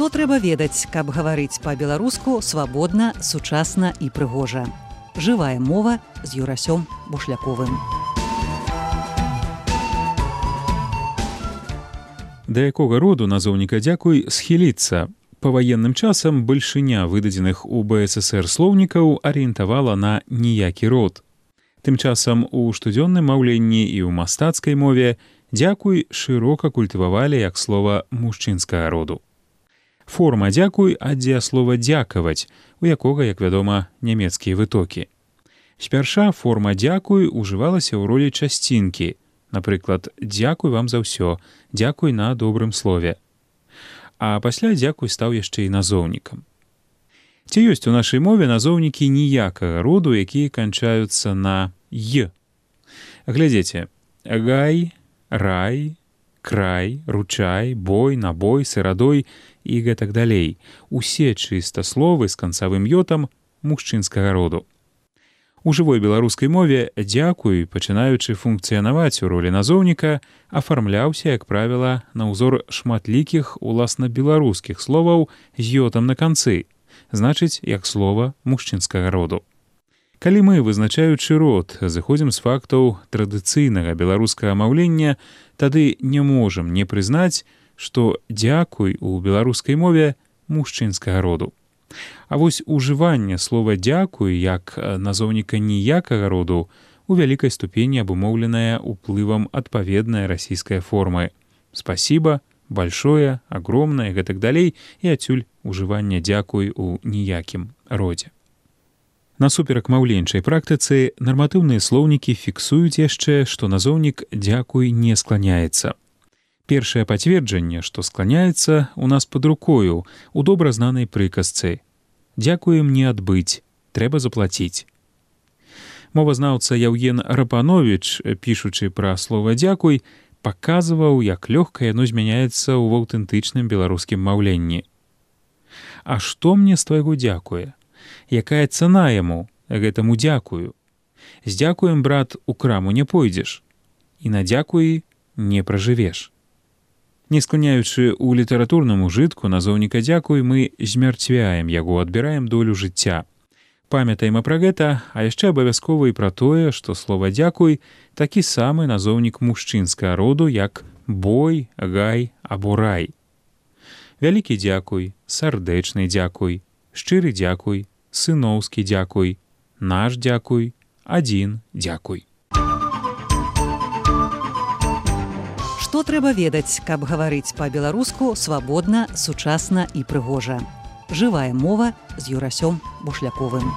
Што трэба ведаць, каб гаварыць па-беларуску свабодна, сучасна і прыгожа. Жывая мова з Юрасём Бушляковым. Да якога роду назоўніка «дзякуй» схіліцца? Па ваенным часам бальшыня выдадзеных у БССР слоўнікаў арыентавала на ніякі род. Тым часам у штодзённым маўленні і ў мастацкай мове «дзякуй» шырока культывавалі як слова мужчынскага роду. Форма «дзякуй» ад дзеяслова «дзякаваць», у якога, як вядома, нямецкія вытокі. Спярша форма «дзякуй» ужывалася ў ролі часцінкі. Напрыклад, «дзякуй вам за ўсё», «дзякуй на добрым слове». А пасля «дзякуй» стаў яшчэ і назоўнікам. Ці ёсць у нашай мове назоўнікі ніякага роду, якія канчаюцца на «й». Глядзіце: гай, рай, край, ручай, бой, набой, сырадой і гэтак далей. Усе чыстасловы з канцавым ётам мужчынскага роду. У жывой беларускай мове «дзякуй», пачынаючы функцыянаваць у ролі назоўніка, афармляўся, як правіла, на ўзор шматлікіх уласна беларускіх словаў з ётам на канцы, значыць, як слова мужчынскага роду. Калі мы, вызначаючы род, зыходзім з фактаў традыцыйнага беларускага маўлення, тады не можам не прызнаць, што «дзякуй» у беларускай мове мужчынскага роду. А вось ужыванне слова «дзякуй» як назоўніка ніякага роду у вялікай ступені абумоўленае ўплывам адпаведнай расійскай формы «спасибо», «большое», «огромное» і гэтак далей, і адсюль ужыванне «дзякуй» у ніякім родзе. Насуперак маўленчай практыцы, нарматыўныя слоўнікі фіксуюць яшчэ, што назоўнік «дзякуй» не скланяецца. Першае пацверджанне, што скланяецца, у нас пад рукою у добра знанай прыказцы «дзякуем не адбыць, трэба заплаціць». Мовазнаўца Яўген Рапановіч, пішучы пра слова «дзякуй», паказваў, як лёгка яно змяняецца ў аўтэнтычным беларускім маўленні. А што мне з твайго дзякуе? Якая цана яму, гэтаму дзякую? З дзякуем, брат, у краму не пойдзеш, і на дзякуі не пражывеш. Не скланяючы ў літаратурным ужытку назоўніка «дзякуй», мы змярцвяем яго, адбіраем долю жыцця. Памятаем пра гэта, а яшчэ абавязкова і пра тое, што слова «дзякуй» такі самы назоўнік мужчынскага роду, як бой, гай або рай. Вялікі дзякуй, сардэчны дзякуй, шчыры дзякуй, сыноўскі дзякуй, наш дзякуй, адзін дзякуй. Што трэба ведаць, каб гаварыць па-беларуску свабодна, сучасна і прыгожа. Жывая мова з Юрасём Бушляковым.